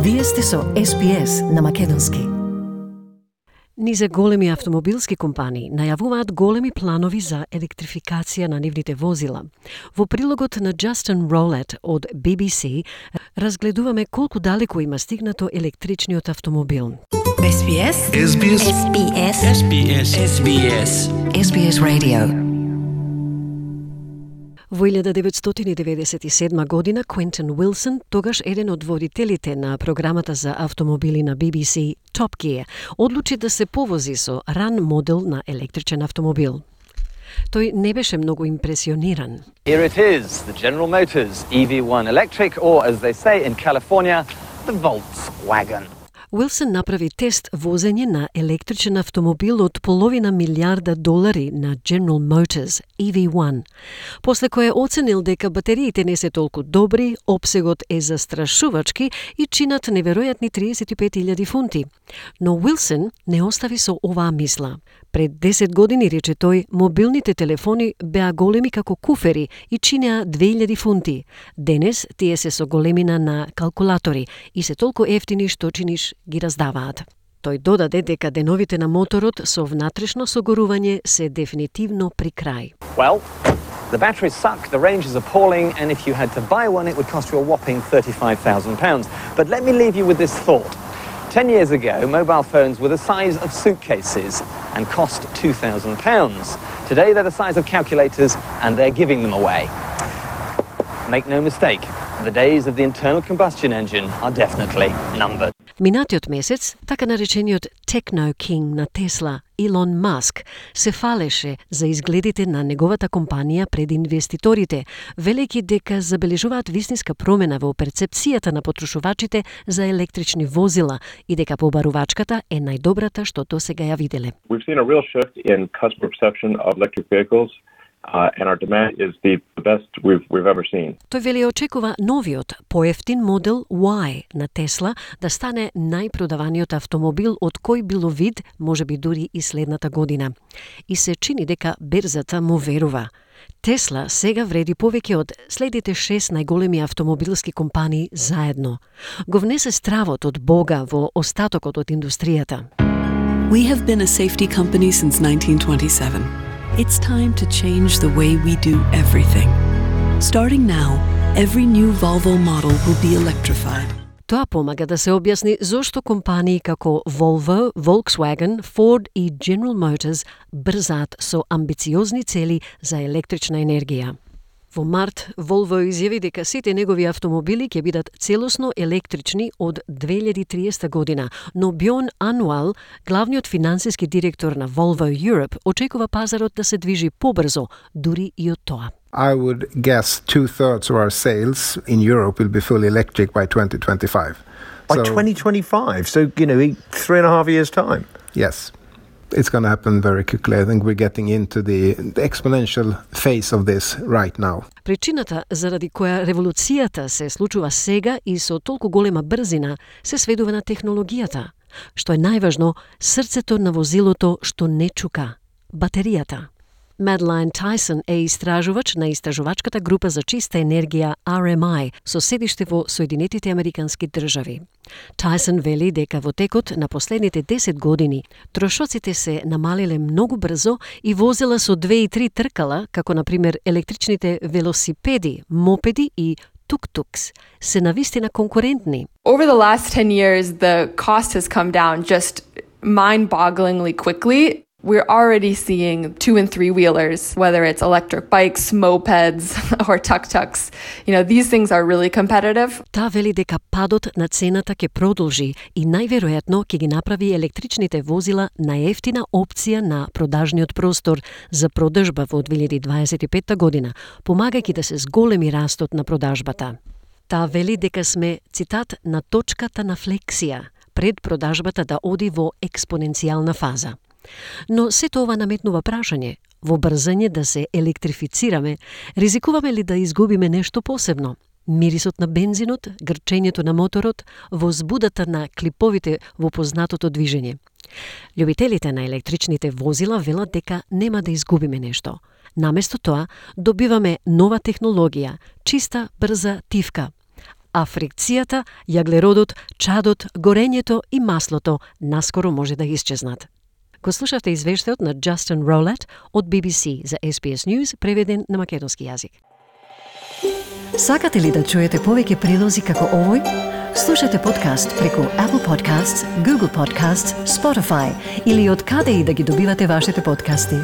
Вие сте со SPS на македонски. Низе големи автомобилски компании најавуваат големи планови за електрификација на нивните возила. Во прилогот на Justin Rowlett од BBC разгледуваме колку далеко има стигнато електричниот автомобил. SBS SBS SBS SBS SBS SBS Radio. Во 1997 година Quentin Wilson, тогаш еден од водителите на програмата за автомобили на BBC Top Gear, одлучи да се повози со ран модел на електричен автомобил. Тој не беше многу импресиониран. Here it is, the General Motors EV1 electric, or as they say in California, the Volkswagen. Уилсон направи тест возење на електричен автомобил од $500 милиарда на General Motors EV1, после кој оценил дека батериите не се толку добри, опсегот е застрашувачки и чинат неверојатни 35.000 фунти. Но Уилсон не остави со оваа мисла. Пред 10 години, рече тој, мобилните телефони беа големи како куфери и чинеа 2000 фунти. Денес тие се со големина на калкулатори и се толку ефтини што чиниш ги раздаваат. Тој додаде дека деновите на моторот со внатрешно согорување се дефинитивно при крај. Well, the batteries suck, the range is appalling, and if you had to buy one, it would cost you a whopping £35,000. But let me leave you with this thought. 10 years ago, mobile phones were the size of suitcases and cost £2,000. Today, they're the size of calculators, and they're giving them away. Make no mistake, the days of the internal combustion engine are definitely numbered. Минатиот месец, така наречениот Techno King на Тесла, Илон Маск, се фалеше за изгледите на неговата компанија пред инвеститорите, велејќи дека забележуваат вистинска промена во перцепцијата на потрошувачите за електрични возила и дека побарувачката е најдобрата што досега ја виделе. We've seen a real shift in customer perception of electric vehicles. And our demand is the best we've ever seen. Тој вели очекува новиот, поевтин модел Y на Тесла да стане најпродаваниот автомобил од кој било вид, можеби дури и следната година. И се чини дека берзата му верува. Тесла сега вреди повеќе од следите 6 најголеми автомобилски компании заедно. Го внесе стравот од Бога во остатокот од индустријата. We have been a safety company since 1927. It's time to change the way we do everything. Starting now, every new Volvo model will be electrified. Тоа помага да се објасни зошто компании како Volvo, Volkswagen, Ford и General Motors брзаат со амбициозни цели за електрична енергија. Во март, Volvo изјави дека сите негови автомобили ќе бидат целосно електрични од 2030 година, но Bjorn Annwall, главниот финансиски директор на Volvo Europe, очекува пазарот да се движи побрзо, дури и од тоа. I would guess 2/3 of our sales in Europe will be fully electric by 2025. By 2025? So, in 3.5 years' time? Yes. It's going to happen very quickly. I think we're getting into the exponential phase of this right now. Причината заради која револуцијата се случува сега и со толку голема брзина се сведува на технологијата. Што е најважно, срцето на возилото што не чука – батеријата. Madeline Tyson е истражувач на истражувачката група за чиста енергија RMI со седиште во Соединетите Американски држави. Tyson вели дека во текот на последните 10 години трошоците се намалиле многу брзо и возила со 2 и 3 тркала, како на пример електричните велосипеди, мопеди и tuk-tuks, се навистина конкурентни. Over the last 10 years, the cost has come down just mind-bogglingly quickly. We're already seeing 2- and 3-wheelers, whether it's electric bikes, mopeds, or tuk-tuks. These things are really competitive. Та вели дека падот на цената ќе продолжи и најверојатно ќе ги направи електричните возила најефтина опција на продажниот простор за продажба во 2025 година, помагајќи да се зголеми растот на продажбата. Та вели дека сме, цитат, на точката на флексија, пред продажбата да оди во експоненцијална фаза. Но сето ова наметнува прашање, во брзање да се електрифицираме, ризикуваме ли да изгубиме нешто посебно? Мирисот на бензинот, грчењето на моторот, возбудата на клиповите во познатото движење. Љубителите на електричните возила велат дека нема да изгубиме нешто. Наместо тоа, добиваме нова технологија, чиста, брза тивка. а фрикцијата, јаглеродот, чадот, горењето и маслото наскоро може да исчезнат. Го слушавте извештајот на Justin Rowlett од BBC за SBS News, преведен на македонски јазик. Сакате ли да чуете повеќе прилози како овој? Слушате подкаст преку Apple Podcasts, Google Podcasts, Spotify или од каде и да ги добивате вашите подкасти.